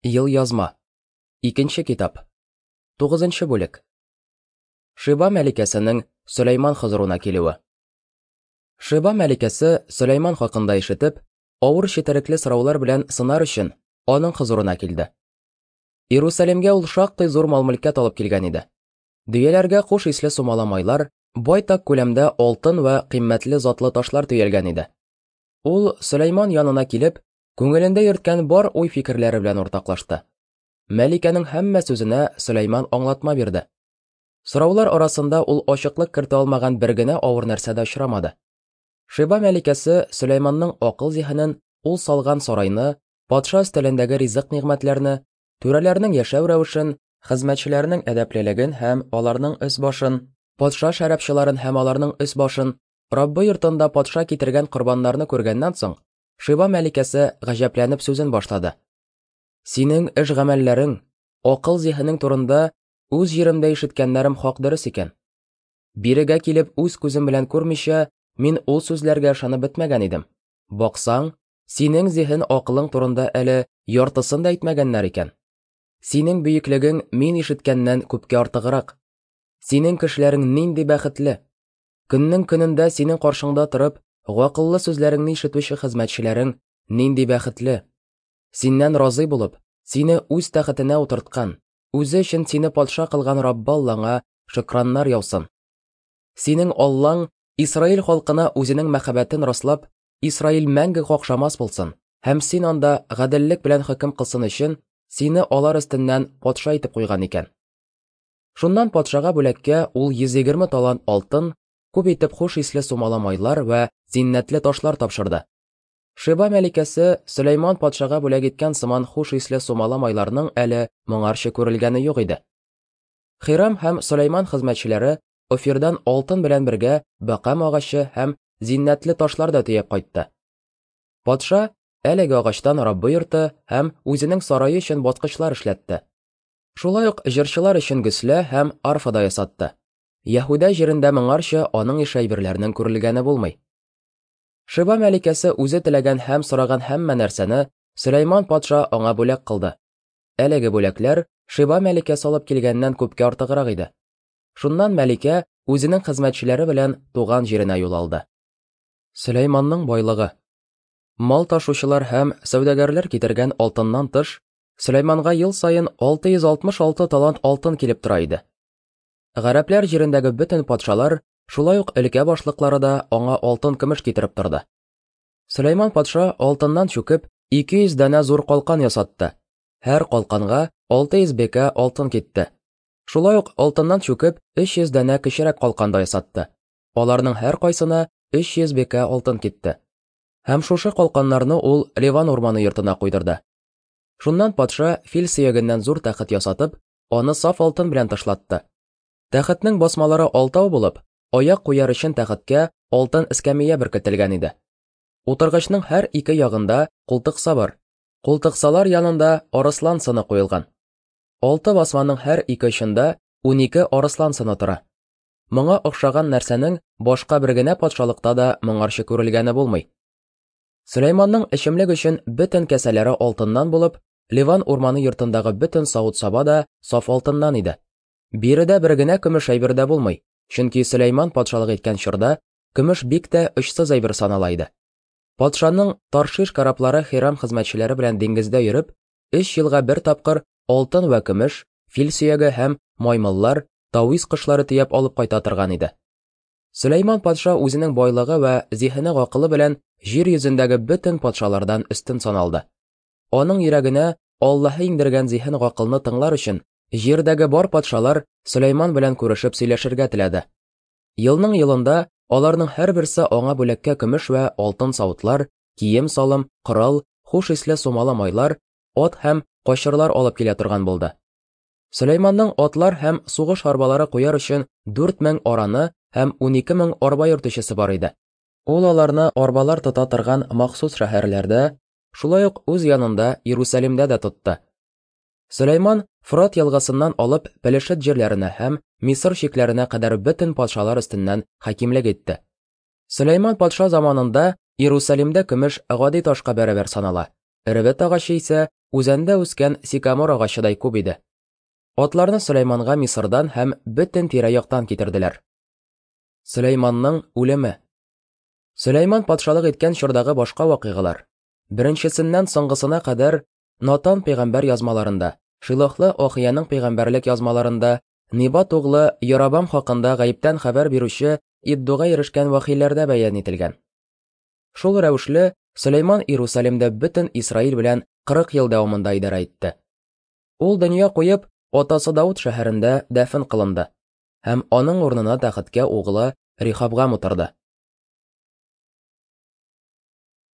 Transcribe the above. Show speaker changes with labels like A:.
A: Елъязма. Икенче китап. Тугызынчы бүлек. Шиба мәликәсенең Сөләйман хозурына килүе. Шиба мәликәсе Сөләйман хакында ишетеп, авыр четерекле сораулар белән сынар өчен аның хозурына килде. Иерусалимгә ул шактый зур мал-мөлкәт алып килгән иде. Дөяләргә хуш исле сумала майлар, байтак күләмдә алтын вә кыйммәтле затлы ташлар төялгән иде. Ул Сөләйман янына килеп, Күңелендә йөрткән бар уй-фикерләре белән уртаклашты. Мәликәнең һәммә сүзенә Сөләйман аңлатма бирде. Сораулар арасында ул ачыклык кертә алмаган бер генә авыр нәрсә дә очрамады. Шиба мәликәсе Сөләйманның акыл-зиһенен, ул салган сарайны, патша өстәлендәге ризык-нигъмәтләрне, түрәләрнең яшәү рәвешен, хезмәтчеләрнең әдәплелеген һәм аларның өс-башын, патша шәрабчыларын һәм аларның өс-башын, Раббы йортында патша китергән корбаннарны күргәннән соң, Шиба мәликәсе гаҗәпләнеп сүзен башлады. Синең эш-гамәлләрең, акыл-зиһенең турында үз җиремдә ишеткәннәрем хак дөрес икән. Бирегә килеп үз күзем белән күрмичә, мин ул сүзләргә ышанып бетмәгән идем. Баксаң, синең зиһен-акылың турында әле яртысын да әйтмәгәннәр икән. Синең бөеклегең мин ишеткәннән күпкә артыграк. Синең кешеләрең нинди бәхетле! Көннең көнендә синең каршыңда торып, гакыллы сүзләреңне ишетүче хезмәтчеләрең нинди бәхетле! Синнән разый булып, сине үз тәхетенә утырткан, үзе өчен сине патша кылган Раббы Аллаңа шөкраннар яусын. Синең Аллаң Исраил халкына үзенең мәхәббәтен раслап, Исраил мәңге какшамас булсын һәм син анда гаделлек белән хөкем кылсын өчен, сине алар өстеннән патша итеп куйган икән. Шуннан патшага бүләккә ул 120 талант алтын, күп итеп хуш исле сумала майлар вә зиннәтле ташлар тапшырды. Шиба мәликәсе Сөләйман патшага бүләк иткән сыман хуш исле сумала майларның әле моңарчы күрелгәне юк иде. Хирам һәм Сөләйман хезмәтчеләре Офирдан алтын белән бергә бәкам агачы һәм зиннәтле ташлар да төяп кайтты. Патша әлеге агачтан Раббы йорты һәм үзенең сарае өчен баскычлар эшләтте. Шулай ук җырчылар өчен гөслә һәм арфа да ясатты. Яһүдә җирендә моңарчы аның ише әйберләрнең күрелгәне булмый. Шиба мәликәсе үзе теләгән һәм сораган һәммә нәрсәне Сөләйман патша аңа бүләк кылды. Әлеге бүләкләр Шиба мәликәсе алып килгәннән күпкә артыграк иде. Шуннан мәликә үзенең хезмәтчеләре белән туган җиренә юл алды. Сөләйманның байлыгы. Мал ташучылар һәм сәүдәгәрләр китергән алтыннан тыш, Сөләйманга ел саен 666 талант алтын килеп тора иде. Гарәпләр җирендәге бөтен патшалар, шулай ук өлкә башлыклары да аңа алтын-көмеш китереп торды. Сөләйман патша алтыннан чүкеп 200 данә зур калкан ясатты. Һәр калканга 600 бекә алтын китте. Шулай ук алтыннан чүкеп 300 данә кечерәк калкан да ясатты. Аларның һәркайсына 300 бекә алтын китте. Һәм шушы калканнарны ул Ливан урманы йортына куйдырды. Шуннан патша фил сөягеннән зур тәхет ясатып, аны саф алтын белән тышлатты. Тәхетнең басмалары алтау булып, аяк куяр өчен тәхеткә алтын эскәмия беркетелгән иде. Утыргычның һәр ике ягында култыкса бар. Култыксалар янында арыслан сыны куелган. Алты басманың һәр ике очында 12 арыслан сыны тора. Моңа охшаган нәрсәнең башка бер генә патшалыкта да моңарчы күрелгәне булмый. Сөләйманның эчемлек өчен бөтен кәсәләре алтыннан булып, Ливан урманы йортындагы бөтен савыт-саба да саф алтыннан иде. Биредә бер генә көмеш әйбер дә булмый, чөнки Сөләйман патшалык иткән чорда көмеш бик тә очсыз әйбер санала иде. Патшаның Таршиш кораблары Хирам хезмәтчеләре белән диңгездә йөреп, өч елга бер тапкыр алтын вә көмеш, фил сөяге һәм маймыллар, тавис кошлары төяп алып кайта торган иде. Сөләйман патша үзенең байлыгы вә зиһене-гакылы белән җир йөзендәге бөтен патшалардан өстен саналды. Аның йөрәгенә Аллаһы иңдергән зиһен-гакылны тыңлар өчен, җирдәге бар патшалар Сөләйман белән күрешеп сөйләшергә теләде. Елның елында аларның һәрберсе аңа бүләккә көмеш вә алтын савытлар, кием-салым, корал, хуш исле сумала майлар, ат һәм качырлар алып килә торган булды. Сөләйманның атлар һәм сугыш арбалары куяр өчен 4000 араны һәм 12000 арба йөртүчесе бар иде. Ул аларны арбалар тота торган махсус шәһәрләрдә, шулай ук үз янында Иерусалимдә дә тотты. Сөләйман Фрат елгасыннан алып Пелешет җирләренә һәм Мисыр чикләренә кадәр бөтен патшалар өстеннән хакимлек итте. Сөләйман патша заманында Иерусалимдә көмеш гади ташка бәрабәр санала, эревет агачы исә үзәндә үскән сикамор агачыдай күп иде. Атларны Сөләйманга Мисырдан һәм бөтен тирә-яктан китерделәр. Сөләйманның үлеме. Сөләйман патшалык иткән чордагы башка вакыйгалар, беренчесеннән соңгысына кадәр Натан пәйгамбәр язмаларында, Шилохлы Ахияның пәйгамбәрлек язмаларында, Нибат углы Ярабам хакында гаептән хәбәр бирүче Иддуга ирешкән вәхиләрдә бәян ителгән. Шул рәвешле Сөләйман Иерусалимдә бөтен Исраил белән 40 ел дәвамында идарә итте. Ул дөнья куеп, атасы Дауд шәһәрендә дәфен кылынды һәм аның урынына тәхеткә углы Рихабгам утырды.